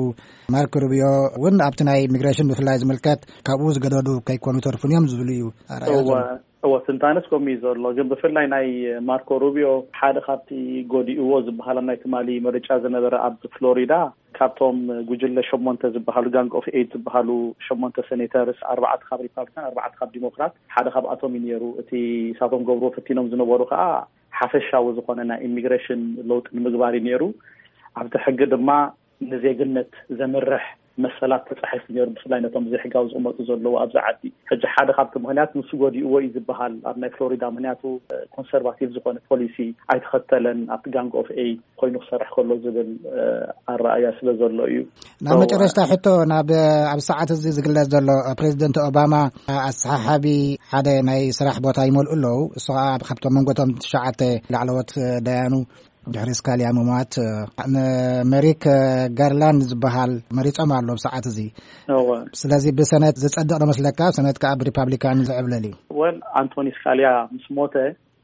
ማርክ ሩቢዮ እውን ኣብቲ ናይ ኢሚግሬሽን ብፍላይ ዝምልከት ካብኡ ዝገደዱ ከይኮኑ ተርፉን እዮም ዝብሉ እዩ ኣረኣእያ እወ፣ ዘሎ። እወ፣ ትንታነስ ከምኡ እዩ ዘሎ። ግን ብፍላይ ናይ ማርኮ ሩቢዮ ሓደ ካብቲ ጎዲእዎ ዝበሃል ኣብ ናይ ትማሊ ምርጫ ዝነበረ ኣብ ፍሎሪዳ ካብቶም ጉጅለ ሸሞንተ ዝበሃሉ፣ ጋንግ ኦፍ ኤይት ዝበሃሉ ሸሞንተ ሴኔተርስ፣ ኣርባዕተ ካብ ሪፓብሊካን፣ ኣርባዕተ ካብ ዲሞክራት፣ ሓደ ካብኣቶም እዩ ነይሩ። እቲ ሳቶም ገብርዎ ፈቲኖም ዝነበሩ ከዓ ሓፈሻዊ ዝኾነ ናይ ኢሚግሬሽን ለውጢ ንምግባር እዩ ነይሩ። ኣብቲ ሕጊ ድማ ንዜግነት ዘምርሕ መሰላት ተጻሒፉ ነይሩ፣ ብፍላይ ነቶም ዘይሕጋዊ ዝቕመጡ ዘለዉ ኣብዚ ዓዲ። ሕጂ ሓደ ካብቲ ምኽንያት ንሱ ጎዲእዎ እዩ ዝበሃል ኣብ ናይ ፍሎሪዳ፣ ምኽንያቱ፣ እ፣ ኮንሰርቫቲቭ ዝኾነ ፖሊሲ ኣይተኸተለን፣ ኣብቲ ጋንግ ኦፍ ኤይት ኮይኑ ክሰርሕ ከሎ ዝብል፣ እ፣ ኣረኣእያ ስለ ዘሎ እዩ። ናብ እወ። መጨረሽታ ሕቶ፣ ናብ፣ ኣብ ሰዓት እዚ ዝግለጽ ዘሎ፣ ፕሬዚደንት ኦባማ ኣሰሓሓቢ ሓደ ናይ ስራሕ ቦታ ይመልኡ ኣለዉ። እሱ ኸዓ ካብቶም መንጎቶም ትሽዓተ ላዕለዎት ዳያኑ ድሕሪ ስካልያ ምሟት፣ እ፣ ንመሪክ ጋርላንድ ዝበሃል መሪጾም ኣሎ ብሰዓት እዚ። እወ። ስለዚ ብሰነት ዝጸድቕ ዶ መስለካ? ሰነት ከኣ ብሪፓብሊካን ዝዕብለል እዩ። ወል፣ ኣንቶኒ ስካልያ ምስ ሞተ፣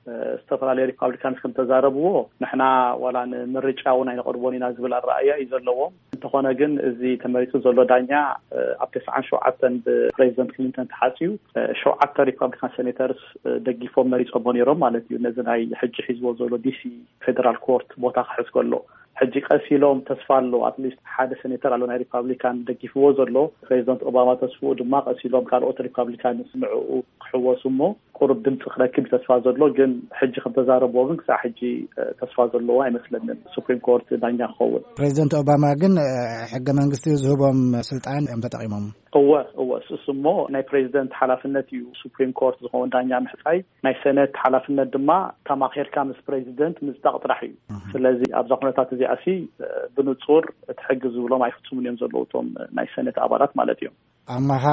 እ፣ ዝተፈላለዩ ሪፓብሊካንስ ከም ተዛረብዎ፣ ንሕና ዋላ ንምርጫ እውን ኣይነቕርቦን ኢና ዝብል ኣረኣእያ እዩ ዘለዎም። እንተኾነ ግን እዚ ተመሪጹ ዘሎ ዳኛ፣ እ፣ ኣብ ተስዓን ሸውዓተን ብፕሬዚደንት ክሊንተን ተሓጽዩ፣ እ፣ ሸውዓተ ሪፓብሊካን ሴኔተርስ፣ እ፣ ደጊፎም መሪጾሞ ነይሮም ማለት እዩ። ነዚ ናይ ሕጂ ሒዝዎ ዘሎ ዲሲ ፌደራል ኮርት ቦታ ክሕዝ ከሎ፣ ሕጂ ቀስ ኢሎም ተስፋ ኣሎ፣ ኣትሊስት ሓደ ሴኔተር ኣሎ ናይ ሪፓብሊካን ደጊፍዎ ዘሎ። ፕሬዚደንት ኦባማ ተስፍኡ ድማ ቀስ ኢሎም ካልኦት ሪፓብሊካንስ ንዕኡ ክሕወሱ እሞ ቁሩብ ድምፂ ክረክብ እዩ ተስፋ ዘሎ። ግን ሕጂ ከም ተዛረብዎ ግን ክሳዕ ሕጂ፣ እ፣ ተስፋ ዘለዎ ኣይመስለንን ሱፕሪም ኮርት ዳኛ ክኸውን። ፕሬዚደንት ኦባማ ግን፣ እ፣ ሕገ መንግስቲ ዝህቦም ስልጣን እዮም ተጠቒሞም። እወ፣ እወ፣ እሱ እሞ ናይ ፕሬዚደንት ሓላፍነት እዩ ሱፕሪም ኮርት ዝኸውን ዳኛ ምሕፃይ። ናይ ሰነት ሓላፍነት ድማ ተማኺርካ ምስ ፕሬዚደንት ምጽዳቕ ጥራሕ እዩ። እህ። ስለዚ ኣብዛ ኩነታት እዚኣ ሲ፣ እ፣ ብንጹር እቲ ሕጊ ዝብሎም ኣይፍጽሙን እዮም ዘለዉ እቶም ናይ ሰነት ኣባላት ማለት እዮም። ኣማሃ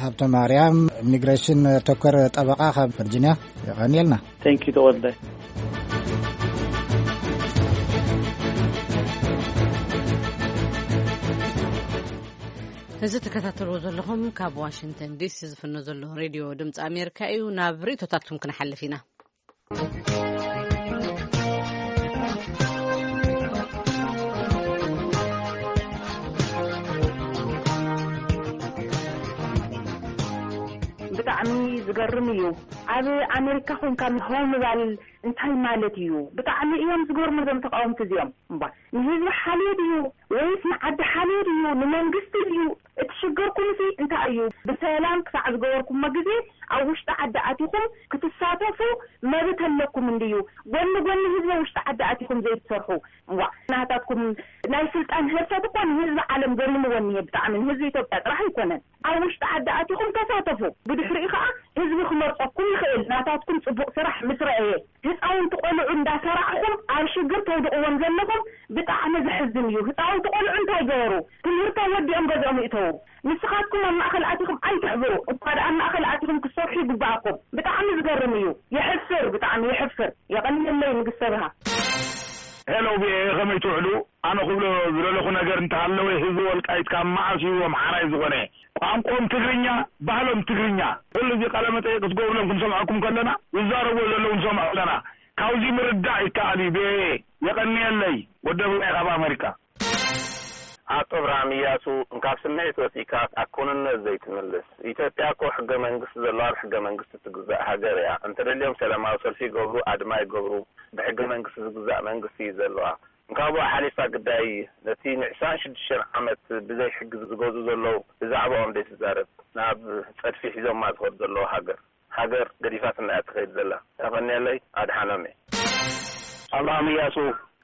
ሃብተ ማርያም፣ ኢሚግሬሽን ተኮር ጠበቓ ካብ ቨርጂንያ፣ የቐንየልና። ቴንክ ዩ ተወልደ። እዚ ትከታተልዎ ዘለኹም ካብ ዋሽንግተን ዲሲ ዝፍኖ ዘሎ ሬድዮ ድምፂ ኣሜሪካ እዩ። ናብ ርእቶታትኩም ክንሓልፍ ኢና። ብጣዕሚ ዝገርም እዩ። ኣብ ኣሜሪካ ኮንካ ሆ ምባል እንታይ ማለት እዩ? ብጣዕሚ እዮም ዝገርሙ እዞም ተቃወምቲ እዚኦም። እምባ ንህዝቢ ሓልዮ ድዩ ወይስ ንዓዲ ሓልዮ ድዩ ንመንግስቲ ድዩ? እቲ ሽግርኩም ሲ እንታይ እዩ? ብሰላም ክሳዕ ዝገበርኩሞ ግዜ ኣብ ውሽጢ ዓዲ ኣቲኹም ክትሳተፉ መብት ኣለኩም እንድዩ። ጎኒ ጎኒ ህዝቢ ውሽጢ ዓዲ ኣቲኹም ዘይትሰርሑ። እዋ ናታትኩም ናይ ስልጣን ህርፈት እኮ ንህዝቢ ዓለም ገሪምዎ እኒሄ። ብጣዕሚ ንህዝቢ ኢትዮጵያ ጥራሕ ኣይኮነን። ኣብ ውሽጢ ዓዲ ኣቲኹም ተሳተፉ። ብድሕሪኡ ከዓ ህዝቢ ክመርፀኩም ይኽእል። ናታትኩም ፅቡቅ ስራሕ ምስ ረኣየ። ህፃውንቲ ቆልዑ እንዳሰራዕኹም ኣብ ሽግር ተውድቕዎም ዘለኹም ብጣዕሚ ዘሕዝን እዩ። ህፃውንቲ ቆልዑ እንታይ ገበሩ? ትምህርቶም ወዲኦም ገዝኦም ይእተዉ። ንስኻትኩም ኣብ ማእኸል ኣቲኹም ኣይትሕብሩ። እኳ ደኣ ኣብ ማእኸል ኣቲኹም ክትሰርሑ ይግባኣኩም። ብጣዕሚ ዝገርም እዩ። የሕፍር፣ ብጣዕሚ የሕፍር። የቐንየለይ ንግስተ ብሃ። ሄሎ ቪኦኤ፣ ከመይ ትውዕሉ? ኣነ ክብሎ ዝደለኹ ነገር እንተሃለወ፣ ህዝቢ ወልቃይት ካብ መዓስ እዩ ኣምሓራይ ዝኾነ? ቋንቋኦም ትግርኛ፣ ባህሎም ትግርኛ። ኩሉ እዚ ቃለ መጠይቅ ክትገብሩሎም ክንሰምዐኩም ከለና፣ ዝዛረብዎ ዘለዉ ንሰምዖ ኣለና። ካብዚ ምርዳእ ይከኣል እዩ። ቪኦኤ፣ የቐንየለይ። ወዲ ብራይ ካብ ኣመሪካ። ኣቶ እብርሃም እያሱ፣ እንካብ ስምዒት ወፂእካ ኣብ ክውንነት ዘይትምልስ። ኢትዮጵያ እኮ ሕገ መንግስቲ ዘለዋ፣ ኣብ ሕገ መንግስቲ ትግዛእ ሃገር እያ። እንተደልዮም ሰላማዊ ሰልፊ ይገብሩ፣ ኣድማ ይገብሩ፣ ብሕገ መንግስቲ ዝግዛእ መንግስቲ እዩ ዘለዋ። እንካብኡ ሓሊፋ ግዳይ ነቲ ንዕስራን ሽዱሽተን ዓመት ብዘይ ሕጊ ዝገዙ ዘለዉ ብዛዕባኦም ዘይትዛረብ፣ ናብ ጸድፊ ሒዞማ ዝኸዱ ዘለዉ ሃገር፣ ሃገር ገዲፋትና እያ ትኸይድ ዘላ። ተቐንየለይ፣ ኣድሓኖም እየ። ኣብርሃም እያሱ፣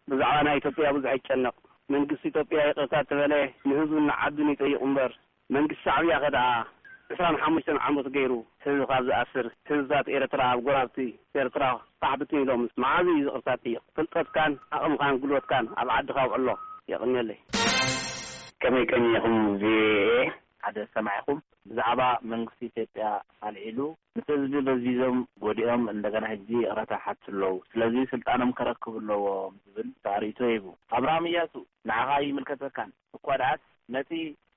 ብዛዕባ ናይ ኢትዮጵያ ብዙሕ ኣይጨነቕ። መንግስቲ ኢትዮጵያ ይቕርታ ተበለ ንህዝቡን ንዓዱን ይጠይቕ እምበር፣ መንግስቲ ሻዕብያ ከ ደኣ ዕስራን ሓሙሽተን ዓመት ገይሩ ህዝቢ ካብ ዝኣስር፣ ህዝብታት ኤርትራ ኣብ ጎራብቲ ኤርትራ ፋሕ ብትን ኢሎም መዓዝ እዩ ይቕርታ ጠይቕ? ፍልጠትካን ዓቕምኻን ጉልበትካን ኣብ ዓድኻ ውዕሎ። የቕንየለይ። ከመይ ቀኒኹም ቪኦኤ? ሓደ ሰማዒኹም ብዛዕባ መንግስቲ ኢትዮጵያ ኣልዒሉ፣ ምስ ህዝቢ በዚዞም ጎዲኦም እንደገና ሕጂ ይቕረታ ሓቱ ኣለዉ። ስለዚ ስልጣኖም ከረክቡ ኣለዎም ዝብል ኣርእቶ ሂቡ። ኣብርሃም እያሱ፣ ንዓኻ ይምልከተካን። እኳ ደኣስ ነቲ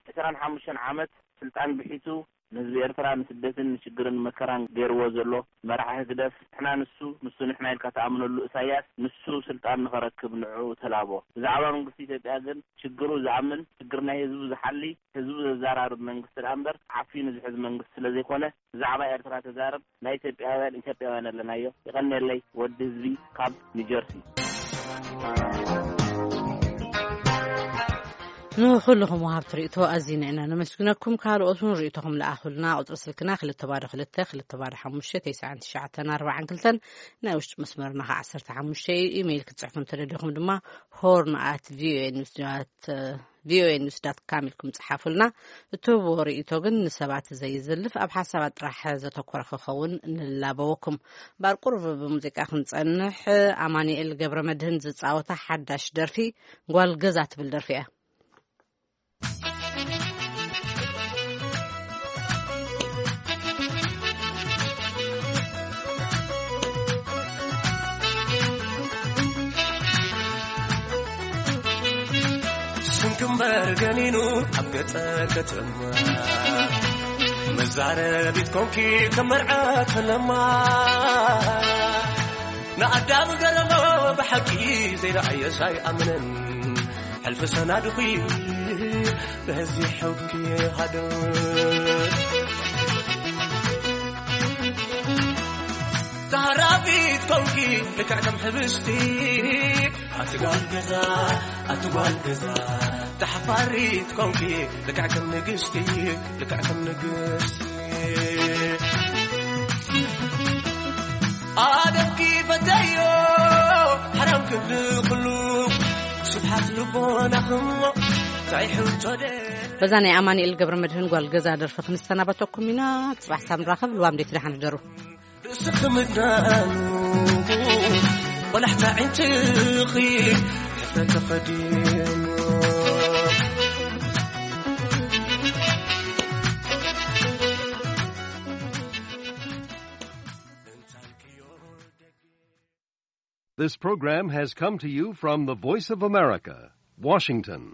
ዕስራን ሓሙሽተን ዓመት ስልጣን ብሒቱ ንህዝቢ ኤርትራ ንስደትን ንሽግርን መከራን ገይርዎ ዘሎ መራሒ ህግደፍ፣ ንሕና ንሱ፣ ንሱ ንሕና ኢልካ ትኣምነሉ እሳያስ፣ ንሱ ስልጣን ንኸረክብ ንዕኡ ተላቦ። ብዛዕባ መንግስቲ ኢትዮጵያ ግን ሽግሩ ዝኣምን፣ ሽግር ናይ ህዝቡ ዝሓሊ፣ ህዝቡ ዘዘራርብ መንግስቲ ደኣ እምበር ዓፊኑ ዝሕዝ መንግስቲ ስለ ዘይኮነ፣ ብዛዕባ ኤርትራ ተዛረብ፣ ናይ ኢትዮጵያውያን ኢትዮጵያውያን ኣለናዮ። ይቐንየለይ፣ ወዲ ህዝቢ ካብ ኒጀርሲ። ንኹልኹም ወሃብቲ ርእይቶ ኣዚና ኢና ነመስግነኩም። ካልኦት እውን ርእይቶኹም ለኣኹልና። ቁጽሪ ስልክና ክልተ ባዶ ክልተ፣ ክልተ ባዶ ሓሙሽተ፣ ተስዓን ትሽዓተን ኣርባዓን ክልተን፣ ናይ ውሽጢ መስመርና ኸዓ ዓሰርተ ሓሙሽተ እዩ። ኢሜይል ክትጽሕፉ እንተደሊኹም ድማ ሆርን ኣት ቪኦኤ ኒውስ ዳት ቪኦኤ ኒውስ ዳት ካም ኢልኩም ጸሓፉልና። እትህብዎ ርእይቶ ግን ንሰባት ዘይዝልፍ፣ ኣብ ሓሳባት ጥራሕ ዘተኮረ ክኸውን ንላበወኩም። እምበኣር ቁሩብ ብሙዚቃ ክንጸንሕ፣ ኣማኑኤል ገብረ መድህን ዝጻወታ ሓዳሽ ደርፊ ጓል ገዛ ትብል ደርፊ እያ። ስምኪ እምበር ገኒኑ ኣብ ገጠር ከተማ፣ መዛረቢት ኮንኪ ከም መርዓ ተለማ። ንኣዳም ገረሞ ብሓቂ ዘይረኣየስ ኣይኣምንን። ሕልፊ ሰናድኺ በዚሑኪ ሃደር። ተሃራፊት ኮንኪ ልክዕ ከም ሕብስቲ፣ ኣቲ ጓል ገዛ፣ ኣቲ ጓል ገዛ። ተሓፋሪት ኮንኪ ልክዕ ከም ንግስቲ፣ ልክዕ ከም ንግስቲ። ኣደብኪ ፈተዮ ሓራም ክብሊ ኩሉ፣ ስብሓት ልቦናኽሞ እንታይ ሕቶ ደ- በዛ ናይ ኣማኑኤል ገብረ መድህን ጓል ገዛ ደርፊ ክንሰናበተኩም ኢና። ጽባሕ ሳብ ንራኸብ። ልዋም ደይ ትደሓን ሕደሩ። ርእስኺ ምድናኑ፣ ቆላሕታ ዕንጭኺ፣ ሕፍረት ተኸዲኑ። This program has come to you from the Voice of America, Washington.